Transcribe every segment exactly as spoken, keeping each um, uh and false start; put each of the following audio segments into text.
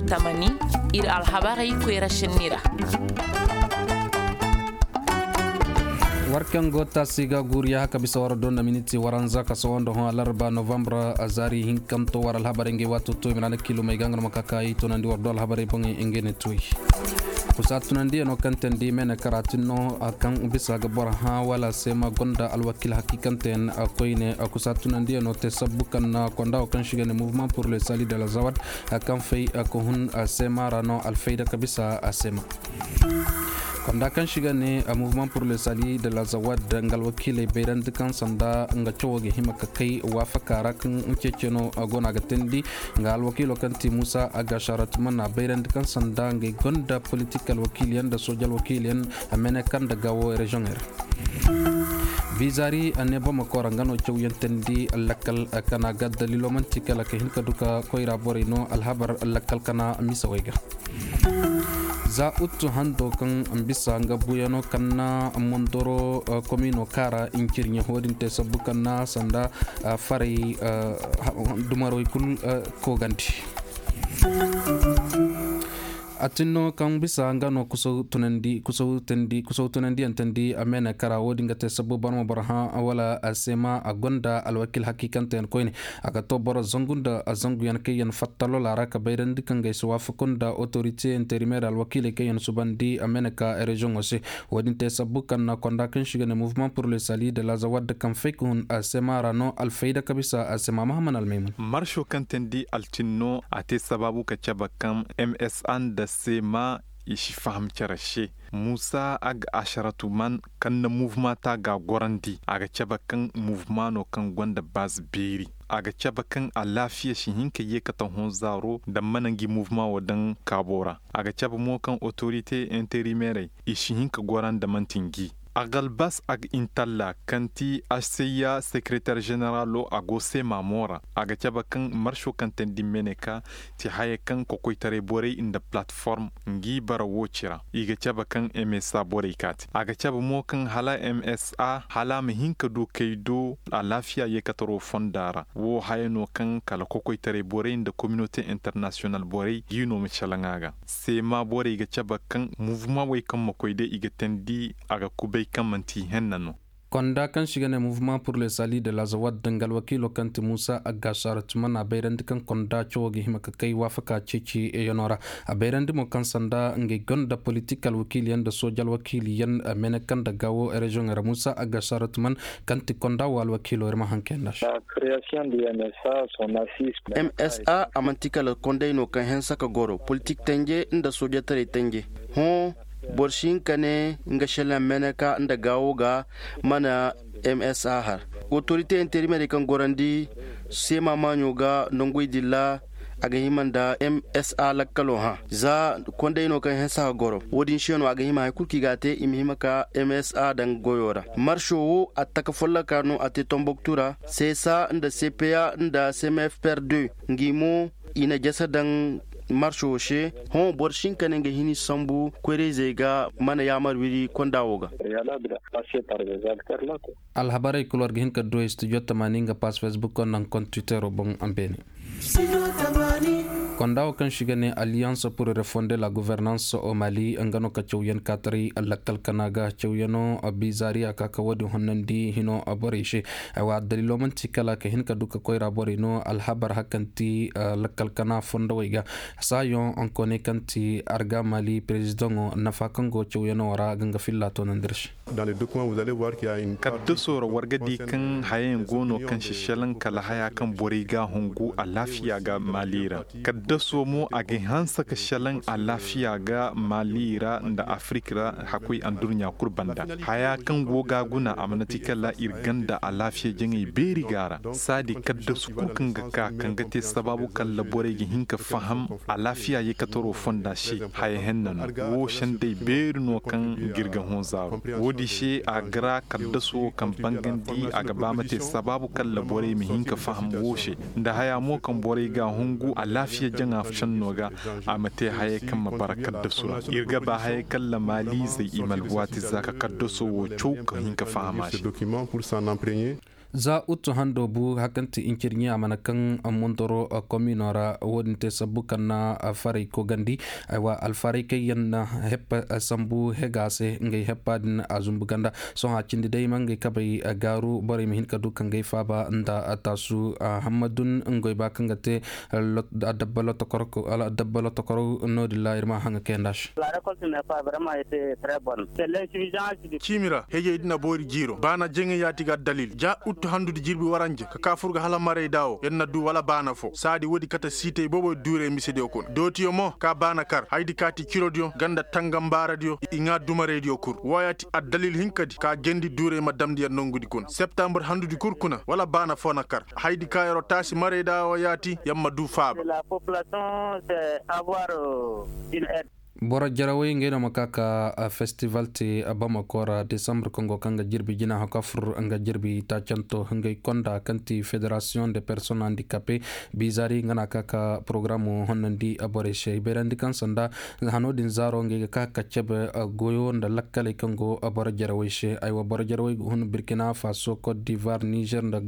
Tamani, ir alhabarey koyra šenni ra. War kaŋ go taasi ga guuriya haka bisa war do nda miniti waranza ka sohõ nda hõ alarba novambar, zaari hinkanto war alhabarey ngey waato to i ma na na kiilumey ga nga no ma ka ka i tunandi war do alhabarey boŋey ngey ne tuwey. Kusa tunandiyano kaŋ teendi meenekara tin no, kaŋ bisa ga boro hã wala seema gonda alwakiil hakiikanteyaŋ koyne. Kusa tunandiyano te sabbu kaŋ na konda wo kaŋ se i ga ne mouvement pour le salut de la zawad, kaŋ fay ka hun seema ra no alfayda ka bisa seema. Konda kaŋ se i ga ne mouvement pour le salut de la zawad nga alwakiiley bayrandi kaŋ sanda nga cawo ga hima ka kay waafaka ra kaŋ ceeceno go no a ga teendi. Nga alwakiilo kaŋ ti muusa agga sharatuma na bayrandi kaŋ sanda ngey gonda politik alwakiiliyaŋ nda sooja alwakiiliyaŋ, meeneka nda gaawo reziyoŋey ra. Bizaari a ne bamako ra nga no cawyaŋ teendi lakkal kana ga daliilo man'ti kala ka hin ka du ka koyra borey no alhabar lakkal kana misawey ga. Za uttu hando kaŋ bisa nga buyano kaŋ na mondoro komiino kaara incirɲe ho din te sabbu kaŋ na sanda faray dumarwey kul koogandi. A tin no kaŋ bisa nga no kusaw tunandi kusaw teendi kusaw tunandiyaŋ teendi a meene kara wo-din ga te sabbu barma boro hã wala a seema a gonda alwakiil hakiikanteyaŋ koyne. A ga to boro zangu nda zanguyaŋ kaŋ yaŋ fatta lola ra ka bayrandi kaŋ ga ay si waafaku nda otorite interimeer alwakiiley kaŋ yaŋ subandi a mene ka reziyoŋo se. Wo-din te sabbu kaŋ na konda kaŋ se i ga ne mouvement pour le salut de la zawad kaŋ fay ka hun a seema ra no alfayda ka bisa a seema mahaman almaymun. Marso kaŋ teendi altinno a te sabaabu ka cabe kaŋ msa nda seema i si faham cere se. Muusa ag asharatu man kaŋ na muvuma ta ga a gorandi a ga cabe kaŋ muvuma no kaŋ gonda baz beeri. A ga cabe kaŋ alaafiya si hin ka yeekate hõ zaaro nda mana ngi muvuma wo daŋ kaabo ra. A ga cabe mo kaŋ otorite interimeerey i si hin ka gora nda man'ti ngi. Agalbas ag intalla kaŋ ti aseyya sekereter ženeralo a go seema mo ra. A ga cabe kaŋ marso kaŋ teendi meneka ti haya kaŋ kokoytaray borey nda palatform ngi bara wo ci ra. I ga cabe kaŋ msa borey kaati a ga cabe mo kaŋ hala msa hala a ma hin ka du kay do alaafiya yeekataro fonda ra wo haya no kaŋ kala kokoytaray borey nda kominote internasiyonal borey gi no ma calaŋ a ga. Seema borey ga cabe kaŋ muvuma wey kaŋ ma koy day i ga teendi a ga kubay kaŋ man'ti i henna no. Konda kaŋ se i ga ne mouvement pour le salut de la zawad danga alwakiilo kaŋ ti muusa agga saaratu mana a bayrandi kaŋ konda cawo ga hima ka kay waafaka ceeciyanoo ra. A bayrandi mo kaŋ sanda ngey gonda politik alwakiiliyaŋ nda sooja alwakiiliyaŋ mene kaŋ nda gaawo reziyoŋey ra muusa agga saaratu man kaŋ ti konda wo alwakiilo ir ma haŋ kayanda se. Msa a man'ti kala konday no kaŋ hensa ka goro politik tenje nda soojataray tenje. Hõ boro si hin ka ne nga šelaŋ meneka nda gaawo ga mana msa har. Otorite interimerey kaŋ gorandi seema maaɲo ga nonguy dilla a ga hima nda msa lakkalo hã za konday no kaŋ hensa ka goro wo-din se no a ga hima hari kulu kaŋ i ga a te i ma hima ka msa daŋ goyo ra. Marso wo attaka folloka no a te tomboktu ra seesa nda cpa nda cmfpr deux ngi mo i na jasa daŋ marso wo se. Hõ boro si hin ka ne nga hini sambu koyra-izey ga mana yaamar wiri konda wo ga. Alhabarey kul war ga hin ka du studio tamaani nga pass facebook nda nga kont twittero boŋ. Beene konda wo kaŋ se i ga ne alliance pour refonder la gouvernance au mali nga no ka cawyaŋ kaataray lakkal kana ga cawyaŋo bizaari a ka ka wo-din honnandi hino borey se. Aywa daliilo man'ti kala ka hin ka du ka koyra borey no alhabar hakanti lakkal kana fondowey ga. Saayoŋ onkooney kaŋ ti arga mali perezidaŋo nafa kaŋ go cawyaŋo ra ga nga filla toonandi ir se. Kaddasoo ra war ga di kaŋ hayayaŋ go no kaŋ si šelaŋ kala haya kaŋ borey ga a hungu alaafiya ga mali ra. Kaddasoo mo a ga hanse ka šelaŋ alaafiya ga mali ra nda afirik ra hakuy andurɲa kul banda. Haya kaŋ go ga a guna a mana ti kala ir ganda alaafiya jaŋey beeri ga a ra saadi kaddasu kul kaŋ ga ka kaŋ ga te sabaabu kala borey ga hin ka faham alaafiya yeekataroo fonda se. Haya henna no woo sendey beeri no kaŋ ga ir ga hõ zaaru. Woodi se a ga ra kaddasoo kaŋ bangandi a ga ba ma te sabaabu kala borey ma hin ka faham woo se nda haya mo kaŋ borey ga a hungu alaafiya jaŋa šennoo ga. A ma te hayey kaŋ ma bara kaddasu ra ir ga ba hayey kala maaliizey i ma alwaati za ka kaddasoo woo caw ka hin ka faham a se. Za uttu hando bu hakanti incirɲi a mana kaŋ mondoro komino ra wo-din te sabbu kaŋ na faray kogandi. Aywa alfaray kaŋ yaŋ na heppa sambu hega se ngey heppa din a zumbu ganda. Sohõ a cindi day ma ngey kabay gaaru borey ma hin ka du ka ngey faaba nda taasu. Hammadun ngoy ba kaŋ ga te adabba lotokoro no-din ra ir ma haŋa kayanda se. Ciimi ra hejey din na boori jiiro baana jaŋay yaati ga addalil ja uttu handudi jirbi waranja ka ka fur ga hala marayda wo yer na du wala baana fo saadi woodi kate siitay boboy duurey misediyo kuna dootiyo mo ka baana kar haydi kaati cirodiyo ganda tangambaaradiyo i ŋaa dumaraydiyo kul wooyaati addalil hinkadi ka jendi duurey ma damndi yer nongudi kuna septambur handudi kul kuna wala baana fo na kar haydi ka yeroo taasi marayda wo yaati yer ma duu faaba. Boro jarawey ngey no ma ka ka festival te bamako ra desambur kaŋ go kaŋ ga jirbi jina haka fur nga jirbi taacanto ngey konda kaŋ ti federasiyoŋ de personne handikape bizari nga na ka ka porogaram honnandi borey se i bayrandi kaŋ sanda hano din zaaro ngey ga ka ka cabe goyo nda lakkaley kaŋ go boro jarawey se aywa boro jarawey ga hun burkina faso cote d'ivoire niger nda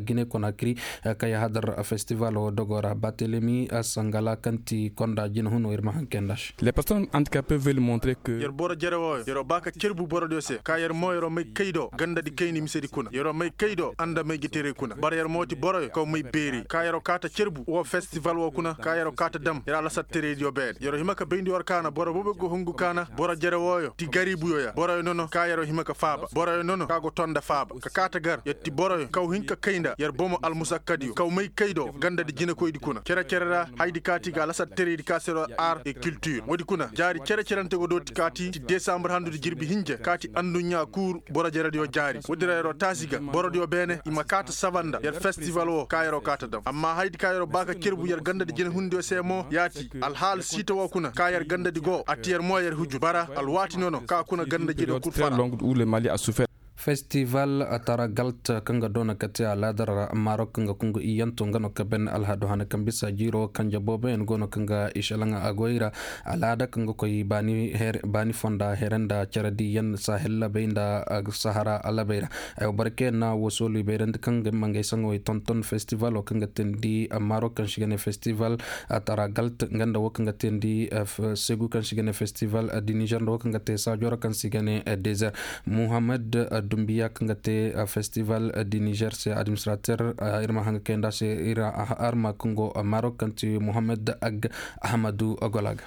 gine konakri kay hadar festival wo dogo ra batelemi sangala kaŋ ti konda jina huno ir ma hanke nda se. Les personnes handicapées veulent montrer que yer boro jere wooyo yeroo ba ka cerbu borodiyo se ka yer mo yeroo may kay do gandadi kayni misedi kuna yeroo may kay do anda may jiterey kuna bara yer mo ti boroyo kaw may beeri ka yeroo kaata cerbu woo festival woo kuna ka yeroo kaata dam yer alasattereydiyo beene yeroo hima ka bayndi war kaana boro boobo go hungu kaana boro jere wooyo ti gariibuyo ya boroyo nono ka yeroo hima ka faaba boroyo nono ka go tonda faaba ka kaata gar yer ti boroyo kaw hin ka kay nda yer bomo almusakkadiyo kaw may kay do gandadi jinekoydi kuna cere-cere ra haydi kaati ga alasattereydi ka se yeroo art et culture woodi kuna jaari cere-cerante go dooti kaati ti desambur handudi jirbi hinja kaati anduɲɲa kuuru boro jerediyo jaari woodi ra yeroo taasi ga borodiyo beene i ma kaata saba nda yer festival woo ka yeroo kaata dam amma haydi ka yeroo ba ka cerbu yer gandadi jinehundiyo se mo yaati alhaal siita woo kuna ka yer gandadi go a ti yer mo yer hujur bara alwaati nono ka kuna ganda jinehundiyo kul fara. Festival taragalt kaŋ ga doona ka te alaadar marok kaŋ ga kungu iyanto nga no ka ben alhado hana kaŋ bisa jiiro kanje booboyaŋ go no kaŋ ga i šelaŋ a goy ra alaada kaŋ ga koy baani fonda here nda care diiyaŋ sahel labey nda sahara labey ra. Ay wa boro kaŋ yaŋ na wosoolu i bayrandi kaŋ ga ma ngey saŋo i tonton festival wo kaŋ ga teendi marok kaŋ si ga ne festival taragalt nga nda wo kaŋ ga teendi segu kaŋ si ga ne festival di niger nda wo kaŋ ga te saajoro kaŋ si ga ne desert. Muhammad dumbiya kaŋ ga te festival di niger se administrateur ir ma haŋ ga kayanda se ir ma kaŋ go marok kaŋ ti muhammad ag ahmadu ogola ga.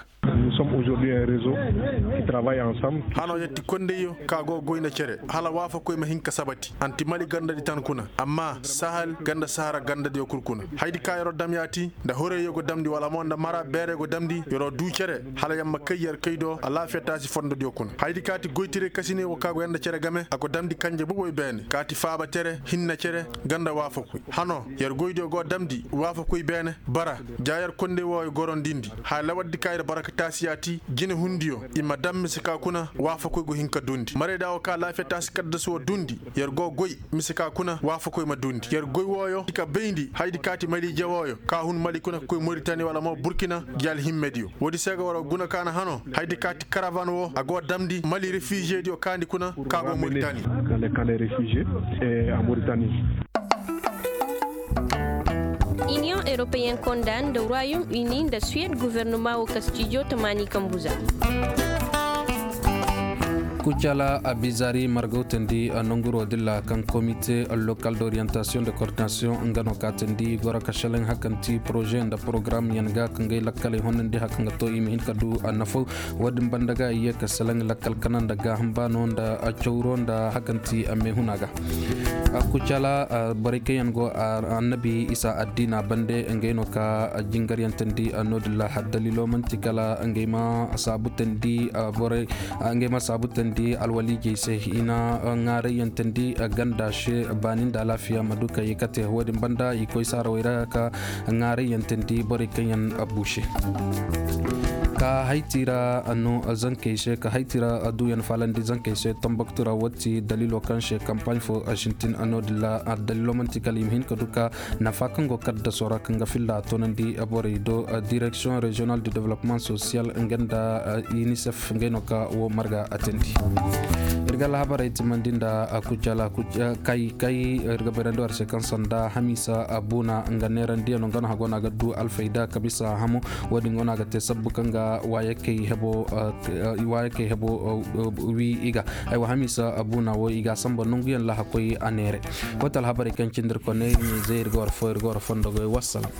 Hano yer ti kondayyo ka go goyna cere hala waafakoy ma hin ka sabati anti mali gandadi tan kuna amma sahal ganda sahara gandadiyo kul kuna haydi ka yeroo dam yaati nda horeyyo go damndi wala mo nda mara beerey go damndi yeroo duu cere hala yer ma kay yer kay do alaafiya taasi fondodiyo kuna haydi ka ti goytirey kasiney woo ka go yer nda cere game a go damndi kanje boboy beene ka ti faaba tere hinna cere ganda waafakoy hano yer goydiyo go damndi waafakoy beene bara ja yer konday wooyo gorondindi haya lawaddi ka yer bara ka taasi yaati jinehundiyo i ma dam mise ka kuna waafakoy go hin ka duundi marayda woo ka laafiya taasi kaddasu woo duundi yer go goy mise ka kuna waafakoy ma duundi yer goy wooyo i ka bayndi haydi ka ti maliije wooyo ka hun mali kuna ka koy moritani wala mo burkina gi alhimmediyo woodi se ga war guna kaana hano haydi ka ti karavan woo a go damndi mali refižediyo kaandi kuna ka go moritani. Iniyoŋ eropeyen konda nda royom uni nda suwed guvernoma wo ka stijo tamaani kambu za. Kucala abizari margawtandi nonguro dilla kaŋ komite lokal d'orientation de coordination nga no kaatandi goro ka selaŋ hakanti poroze nda porogaram yaŋ ga kaŋ gay lakkaley honandi hakaŋ ga to i ma hin ka du nafo. Wo-din banda ga i ye ka selaŋ lakkal kana nda gaaham baano nda cawro nda hakanti meehuna ga. Kucala borey kaŋ yaŋ go annabi isa addiina bande ngey no ka jingaryantandi no-din ra har daliilo man'ti kala ngey ma saabutandi borey ngey ma saabutandi alwaliijey se i na ŋaarayantandi ganda se baani nda alaafiya ma du ka ye ka te wo-din banda i koy saarawey ra ka ŋaarayantandi borey kaŋ yaŋ buuse. Ka hayti ra no zankey se ka hayti ra duyan faalandi zankey se tomboktu ra woo ti daliilo kaŋ se kampaaɲ fo sintin no- din ra. Daliilo man'ti kala i ma hin ka du ka nafa kaŋ go kaddaso ra kaŋ ga filla a toonandi borey do. Direksiyoŋ reziyonal de development sosiyal nga nda inisef ngey no ka woo marga a teendi. Ir ga alhabarey timandi nda kujala kay kay ir ga bayrandi war se kaŋ sanda hamiisa buuna nga neerandiyaŋo nga no hagoo no a ga du alfayda ka bisa hamo. Woo din go no a ga te sabbu kaŋ ga waayakey hebo wii i ga. Aywa hamiisa buuna woo i ga a samba nonguyaŋ lahakoy a neere. Woo ti alhabarey kaŋ cindi ir kone ɲizey ir ga war fo ir ga war fondogoy wassalam.